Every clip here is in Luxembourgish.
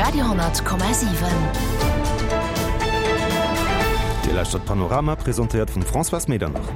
Radio 10,7. Dir lauschtert Panorama, presentéiert vum Françoise Medernach.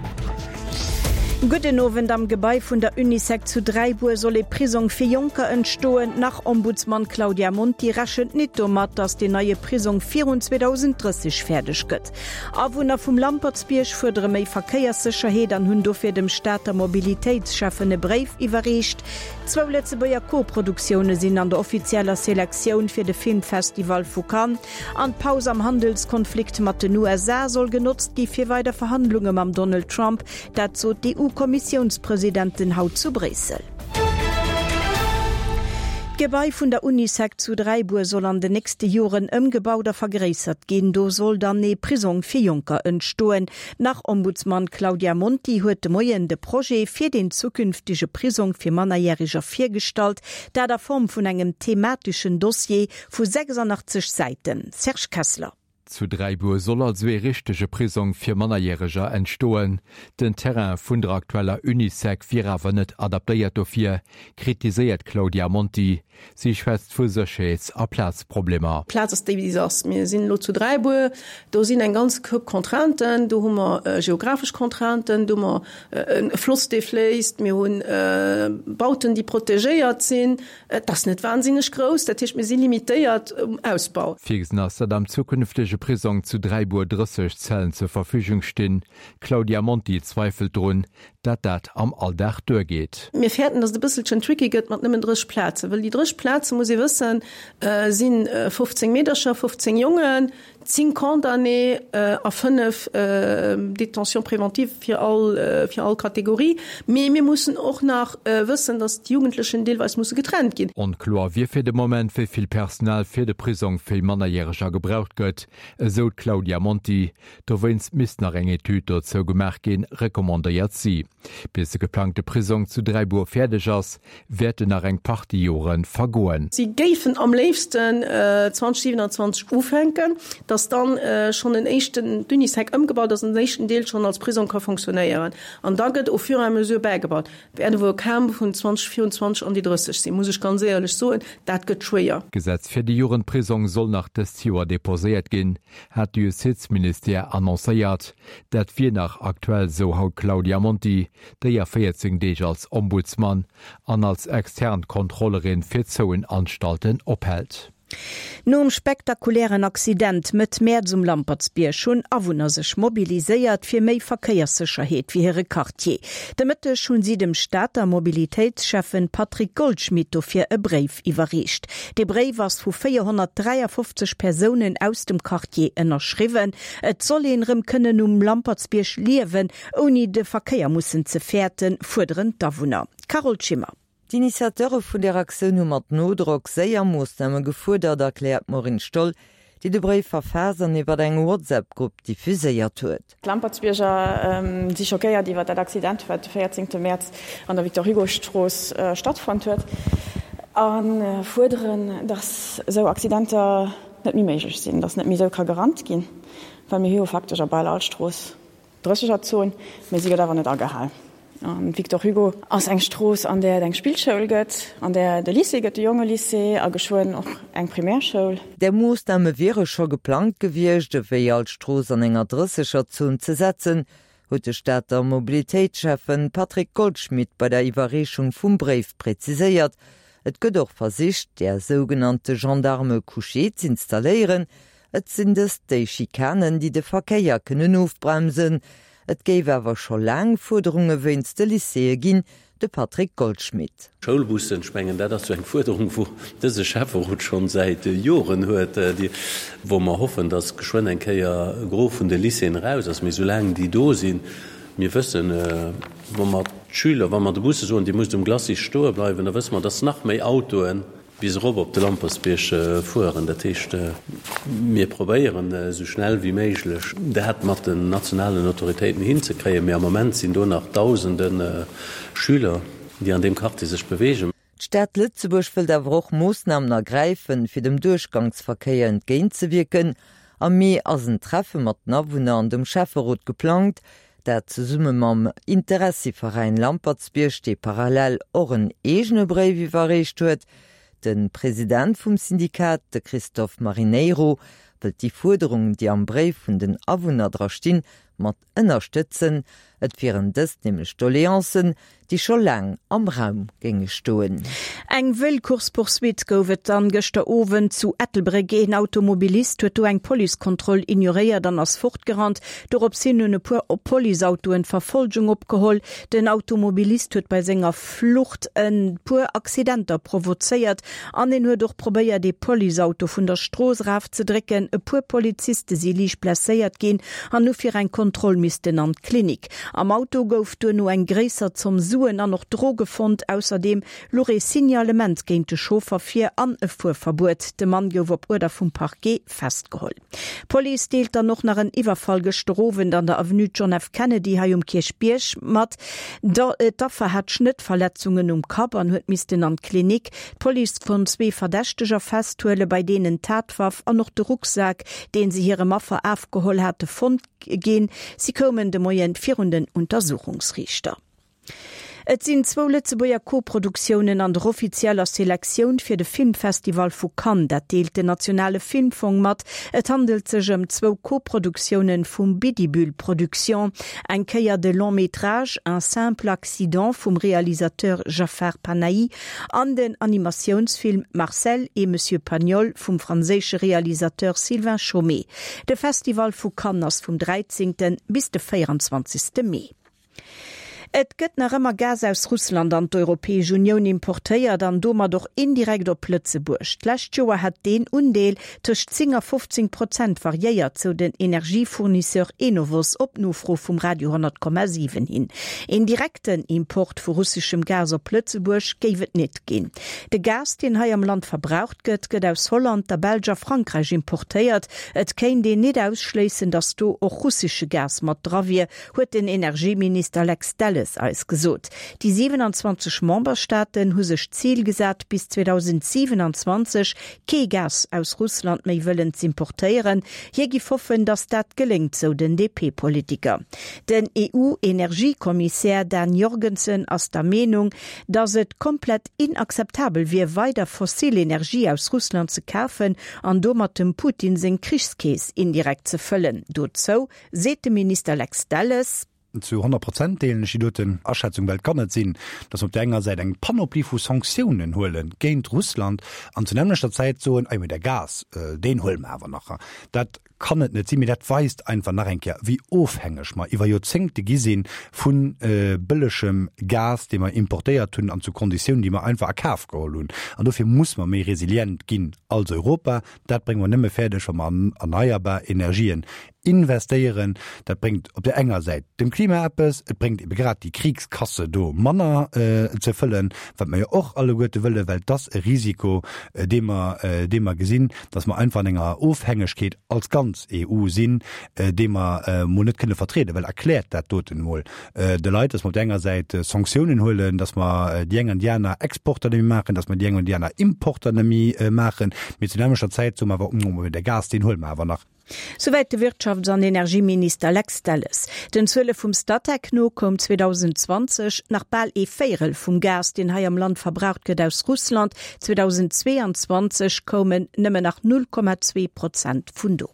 Gudden Owend. Am Gebai vun der Unisec zu Dräibuer soll ee Prisong fir Jonker entstoen. D'Nach-Ombudsman Claudia Monti rechent nit domat, datt deen neie Prisong virun 2030 fäerdeg gëtt. Awunner vum Lampertsbierg fuerdere méi Verkéierssécherheet an hunn dofir dem Stater Mobilitéitsschäffen e Bréif iwwerreecht. Zwou Lëtzebuerger Co-Produktioune sinn an der offizieller Selektioun fir de Filmfestival vu Cannes. An d'Paus am Handelskonflikt mat den USA soll genotzt gi fir weider Verhandlunge mam Donald Trump. Dat sot d'EU-Kommissiounspresidentin haut zu Bréissel. D'Gebai vun der Unisec zu Dräibuer soll an den nächste Joren ëmgebaut a vergréissert ginn. Do soll dann ee Prisong fir Jonker entstoen. D'Nach-Ombudsman Claudia Monti huet de Moien de Projet fir den zukünftege Prisong fir Mannerjäreger virgestallt, dat a Form vun engem themateschen Dossier vu 86 Säiten. Serge Kessler. Zu Dräibuer soll also ee richtege Prisong fir Mannerjäreger entstoen. Den Terrain vun der aktueller Unisec wier awer net adaptéiert dofir, kritiséiert d'Claudia Monti. Si schwätzt vu Sécherheets a Plazproblemer. D'Plaz ass déi, wéi se ass. Mir sinn elo zu Dräibuer, do sinn eng ganz Koup Contrainten. Do hu mer geographesch Contrainten, do hu mer e Floss, dee fléisst, mir hu Bauten, déi protegéiert sinn. Et ass net wahnsinneg grouss, dat heescht, mir si limitéiert um Ausbau. Virgesinn ass, datt am zukünftege Prisong zu Dräibuer 30 Zellen zur Verfügung stinn. D'Claudia Monti zweifelt drun, dat dat am Alldag duergeet. Mir fäerten, datt et e bësselchen tricky gëtt mat nëmmen 30 Plazen, wëll déi 30 Plazen, muss ee wëssen, si 15 Meedercher, 15 Jongen, 10 Condamnés a 5 Détentions préventives fir all, fir all Kategorie. Mee mir mussen och nach wëssen, datt d'Jugendlechen deelweis musse getrennt ginn. Onkloer wier fir de Moment, wéi vill Personal fir de Prisong fir Mannerjäreger gebraucht gëtt, esou d'Claudia Monti. Dowéinst misst nach eng Etüd dozou gemaach ginn, recommandéiert si. Bis de geplangte Prisong zu Dräibuer fäerdeg ass, wäerten nach eng Partie Jore vergoen. Si géifen am léifsten 2027 ufänken, datt dann schonn en éischten, d'Unisec ëmgebaut ass an den éischten Deel schonn als Prisong ka fonctionnéieren. An da gëtt au fur et à mesure bäigebaut. Wäert ewuer kaum vun 2024 an déi 30 sinn, muss ech ganz éierlech soen. Dat gëtt schwéier. D'Gesetz fir de Jugendprisong soll nach dëst Joer deposéiert ginn, hat de Justizministère annoncéiert. Dat wier nach aktuell, sou haut d'Claudia Monti, déi a 14 Deeg als Ombudsman an als extern Kontrollerin fir zouen Anstalten ophält. Nom spektakulären Accident Mëtt Mäerz um Lampertsbierg hunn Awunner sech mobiliséiert fir méi Verkéierssécherheet fir hire Quartier. De Mëtteg hunn si dem Stater Mobilitéitsschäffen Patrick Goldschmidt dofir e Bréif iwwerreecht. Dee Bréif ass vu 453 Persounen aus dem Quartier ënnerschriwwen. Et soll een erëm kënnen um Lampertsbierg liewen, ouni de Verkéier mussen ze fäerten, fuerderen d'Awunner. Carole Schimmer. D'Initiateure vun der Aktioun hu mat Nodrock séier Moossname gefuerdert, erkläert d'Maureen Stoll, déi de Bréif verfaasst an iwwer eng WhatsApp-Grupp diffuséiert huet. D'Lampertsbierger si schockéiert iwwer dat Accident, wat de 14 Mäerz an der Victor-Hugo-Strooss stattfonnt huet a fuerderen, datt esou Accidenter net méi méiglech sinn, datt net méi esou ka gerannt ginn, well mir hu jo faktesch a bal all Strooss Drëssegerzon, mee si gëtt awer net agehal. An d'Victor Hugo ass eng Strooss, an där et eng Spillschoul gëtt, an där et e Lycée gëtt, de Jongelycée, a geschwënn och eng Primärschoul. Där Moossname wiere scho geplangt gewiescht, ewéi all Strooss an enger Drëssegerzon ze setzen, huet de Stater Mobilitéitsschäffen Patrick Goldschmidt bei der Iwwerreechung vum Bréif präziséiert. Et gëtt och versicht, där sougenannte Gendarmes couchés z'installéieren, Et sinn dëst déi Schikanen, déi de Verkéier kënnen ofbremsen. Et géif awer scho laang Fuerderunge wéinst de Lycéeë ginn, de Patrick Goldschmidt. Schoulbussen, ech mengen, dat ass jo eng Fuerderung, wou dëse Schäfferot schonn säit Joren huet, wou mer hoffen, dass geschwënn eng Kéier e Gros vun de Lycéeën eraus ass. Mee soulaang déi do sinn, mir wëssen, wa mer d'Schüler, wa mer de Busse soen, Dir musst um Glacis stoe bleiwen, da wësse mer, dass nach méi Autoen, bis erop op de Lampertsbierg fueren. Dat heescht, mir probéieren esou schnell wéi méiglech dat mat den nationalen Autoritéiten hinzekréien, mee am Moment sinn do nach dausende Schüler, déi an deem Quartier sech beweegen. D'Stad Lëtzebuerg wëllt awer och Moossnamen ergräifen, fir dem Duerchgangsverkéier entgéintzewierken. Am Mee ass en Treffe mat den Awunner an dem Schäfferot geplangt. Dat zesumme mam Interessiveräin Lampertsbierg, dee parallel och en eegene Bréif iwwerreecht huet. De President vum Syndikat, de Christophe Marineiro, wëllt déi Fuerderungen, déi am Bréif vun den Awunner dra stinn, mat ënnerstëtzen. Et wieren dëst nämlech Doleancen, déi scho laang am Raum géinge stoen. Eng wëll Course-poursuite gouf et dann gëschter Owend zu Ettelbréck. Een Automobilist huet do eng Policekontroll ignoréiert an ass fortgerannt. Dorops hin hunn e puer Policeautoen d'Verfolgung opgeholl. Den Automobilist huet bei senger Flucht e puer Accidenter provozéiert an en huet och probéiert ee Policeauto vun der Strooss eraf ze drécken. E puer Poliziste si liicht blesséiert ginn an hu fir eng Kontroll missten an d'Klinik. Am Auto gouf duerno eng gréisser Zomm Suen an och Droge fonnt. Ausserdeem louch ee Signalement géint de Chauffer vir an e Fuerverbuet. De Mann gouf op Uerder vum Parquet festgeholl. D'Police deelt dann och nach en Iwwerfall gëschter Owend an der Avenue John F. Kennedy hei um Kierchbierg mat. D'Affer hat Schnëttverletzungen um Kapp an huet missten an d'Klinik. D'Police konnt zwee Verdächteger festhuelen, bei deenen d'Tatwaff an och de Rucksak, dee se hirem Affer afgeholl hate, fonnt ginn. Si koumen de Moien virun den Untersuchungsriichter. Et sinn zwou Lëtzebuerger Koproduktiounen an der offizieller Selektioun fir de Filmfestival vu Cannes. Dat deelt den nationale Filmfong mat. Et handelt sech ëm zwou Koproduktiounen vum Bidibul Productions. Eng Kéier de Long métrage Un simple accident vum Realisateur Jafar Panahi an den Animatiounsfilm Marcel et Monsieur Pagnol vum franséische Realisateur Sylvain Chomet. De Festival vu Cannes ass vum 13. bis de 24. Mee. Et gëtt nach ëmmer Gas aus Russland an d'Europäesch Unioun importéiert an domat och indirekt op Lëtzebuerg. D'lescht Joer hätt deen Undeel tëscht 10 a 15 Prozent variéiert, sou den Energiefournisseur Enovos op Nofro vum Radio 10,7 hin. Een direkten Import vu russeschem Gas op Lëtzebuerg géif et net ginn. De Gas, deen hei am Land verbraucht gëtt, gëtt aus Holland, der Belsch a Frankräich importéiert. Et kéint een net ausschléissen, datt do och russesche Gas mat dra wier, huet den Energieminister Lex Delles eis gesot. Déi 27 Memberstaaten hu sech d'Zil gesat, bis 2027 kee Gas aus Russland méi wëllen z'importéieren. Hie giff hoffen, datt dat geléngt, sou den DP-Politiker. Den EU-Energiekommissär Dan Jorgensen ass der Meenung, datt et komplett inakzeptabel wier, weider fossil Energie aus Russland ze kafen an domat dem Putin seng Krichskeess indirekt ze fëllen. Dozou Seet de Minister Lex Delles. Zu 100 Prozent deelen ech déi doten Aschätzung, well et kann net sinn, datt mer op där enger Säit eng Panoplie vu Sanktiounen huele géint Russland an zur nämmlechter Zäit soen, ah jo, mee de Gas, deen huele mer awer nach. Dat kann et net sinn. Mee dat weist einfach nach eng Kéier, wéi ofhängeg mer iwwer Joerzéngte gi si vu bëllegem Gas, dee mer importéiert hunn an zu Konditiounen, déi mer einfach a Kaf geholl hunn. An dofir muss mer méi resilient ginn als Europa. Dat brénge mer nëmme fäerdeg, wa mer an erneierbar Energien investéieren. Dat bréngt op där enger Säit dem Klima eppes, et bréngt ebe grad déi Kriegskasse do manner ze fëllen, wat mer jo och alleguerte wëllen, well et ass e Risiko, dee mer, dee mer gesinn, dass mer einfach an enger Ofhängegkeet als ganz EU sinn, déi mer emol net kënne vertrieden. Well erkläert dat doten emol de Leit, dass mer op där enger Säit Sanktiounen huelen, dass mer déi eng an déi aner Exporter net méi maachen, dass mer déi eng an déi aner Importer net méi maachen, mee zu nämmlechter Zäit soe mer awer, de Gas, deen huele mer awer nach. Souwäit de Wirtschafts an Energieminister Lex Delles. Den Zuele vum Statec no koum 2020 nach bal ee Véierel vum Gas, deen hei am Land verbraucht gëtt, aus Russland. 2022 koumen nëmmen nach 0,2 Prozent vun do.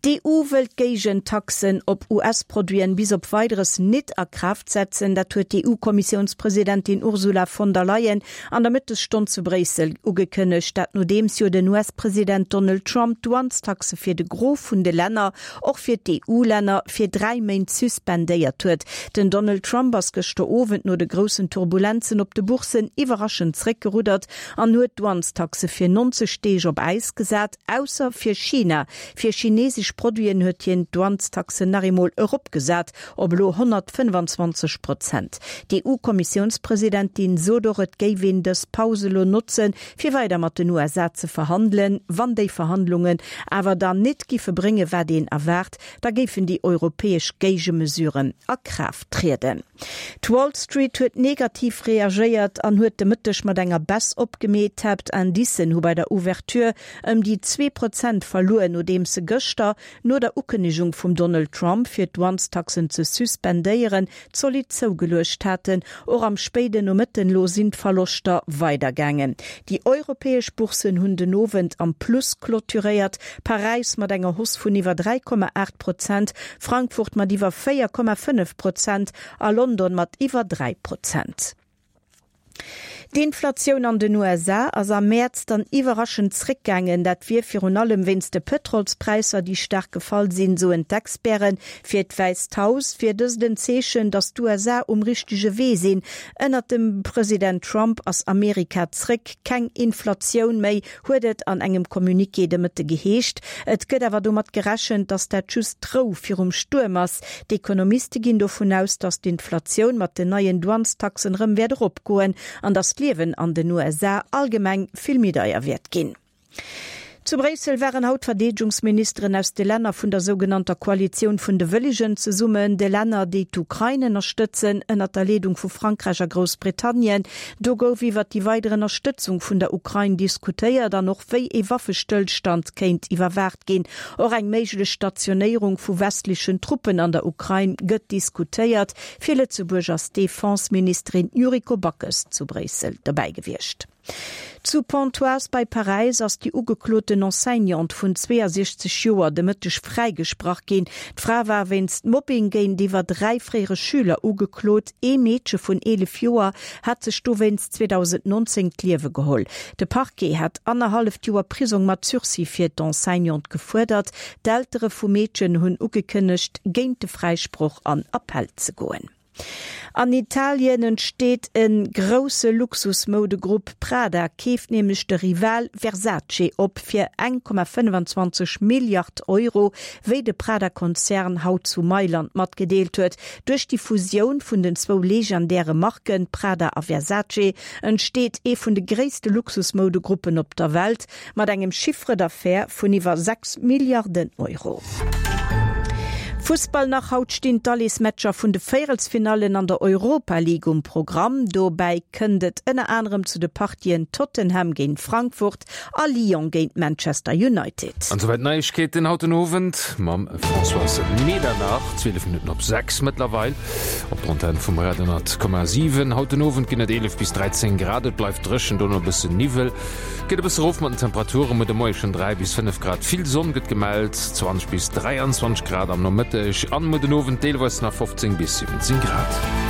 D'EU wëllt d'Géigentaxen op US-Produiten bis op Weideres nit a Kraaft setzen. Dat huet d'EU-Kommissiounspresidentin Ursula von der Leyen an der Mëttesstonn zu Bréissel ugekënnegt. Dat nodeems jo den US-President Donald Trump d'Douanestaxe fir de Gros vun de Länner, och fir d'EU-Länner, fir 3 Méint suspendéiert huet. Den Donald Trump ass gëschter Owend no de groussen Turbulenzen op de Bourssen iwwerraschend zréckgeruddert an huet d'Douanestaxe fir 90 Deeg op Äis gesat, ausser fir China. Fir chinesesch Produiten huet hien d'Douanestaxen nach eemol eropgesat op elo 125 Prozent. D'EU-Kommissiounspresidentin sot och, et géif een dës Paus elo notzen, fir weider mat den USA ze verhandelen. Wann déi Verhandlungen awer dann nit giffe bréngen, wat een erwaart, da géifen déi europäesch Géigemesuren a Kraaft trieden. D'Wall Street huet negativ reagéiert an huet de Mëtteg mat enger Baisse opgemeet. D'Haaptindicen hu bei der Ouverture ëm déi 2 Prozent verluer, nodeems se gëschter. no der Ukënnegung vum Donald Trump, fir d'Douanestaxen ze suspendéieren, zolidd zougeluecht haten. Och am spéiden Nomëtten elo sinn d'Verloschter weider gaangen. Déi europäesch Bourssen hunn den Owend am Plus clôturéiert, Paräis mat enger Hausse vun iwwer 3,8 Prozent, Frankfurt mat iwwer 4,5 Prozent a London mat iwwer 3 Prozent. D'Inflatioun an den USA ass am Mäerz dann iwwerraschend zréckgaangen. Dat wier virun allem wéinst de Pëtrolspräisser, déi staark gefall sinn, soen d'Experten. Fir d'Wäisst Haus wier dëst en Zeechen, datt d'USA um richtege Wee sinn. Ënnert dem President Trump ass Amerika zréck, keng Inflatioun méi, huet et an engem Communiqué de Mëtte geheescht. Et gëtt awer domat gerechent, datt dat just d'Rou virum Stuerm ass. D'Ekonomiste ginn dovun aus, datt d'Inflatioun mat den neien Douanestaxen erëm wäert eropgoen an datt d'Liewen an den USA allgemeng vill méi deier wäert ginn. Zu Bréissel waren haut d'Verdeedegungsministeren aus de Länner vun der sougenannter Koalitioun vun de Wëllegen zesummen, de Länner, déi d'Ukrain ënnerstëtzen, ënnert der Leedung vu Frankräich a Groussbritannien. Do gouf iwwert déi weider Ënnerstëtzung vun der Ukrain diskutéiert an och wéi ee Waffestëllstand kéint iwwerwaacht ginn. Och eng méiglech Stationéierung vu westlechen Truppen an der Ukrain gëtt diskutéiert. Fir Lëtzebuerg ass d'Defense-Ministerin Yuriko Backes zu Bréissel dobäi gewiescht. Zu Pontoise bei Paräis ass déi ugekloten Enseignante vun 62 Joer de Mëtteg fräigesprach ginn. D'Fra war wéinst Mobbing géintiwwer 3 fréiere Schüler ugeklot. Ee Meedche vun 11 Joer hat sech dowéinst 2019 d'Liewe geholl. De Parquet hat annerhalleft Joer Prisong mat Sursis fir d'Enseignante gefuerdert. D'Eltere vum Meedchen hunn ugekënnegt, géint de Fräisproch an Appell ze goen. An Italien entsteet e grousse Luxusmoudegrupp. Prada keeft nämlech de Rival Versace op fir 1,25 Milliard Euro, wéi de Prada-Konzern haut zu Mailand matgedeelt huet. Duerch déi Fusioun vun den zwou legendäre Marken Prada a Versace entsteet ee vun de gréisste Luxusmoudegruppen op der Welt, mat engem Chiffre d'affaires vun iwwer 6 Milliarden Euro. Fussball nach, Haut stinn d'Alleesmatcher vun de Véierelsfinallen an der Europa League um Programm. Dobäi kënnt et ënner anerem zu de Partien Tottenham géint Frankfurt a Lyon géint Manchester United. An souwäit d'Neiegkeeten haut den Owend mam Françoise Medernach. 12 Minutten op 6 mëttlerweil op der Antenn vum Radio 10,7. Haut den Owend ginn et 11 bis 13 Grad, et bleift dréchen, dono e bëssen Niwwel. Geet e bësse rof mat den Temperaturen, muer de Moie schonn 3 bis 5 Grad, vill Sonn gëtt gemellt, 20 bis 23 Grad am Nomëtteg an muer den Owend deelweis nach 15 bis 17 Grad.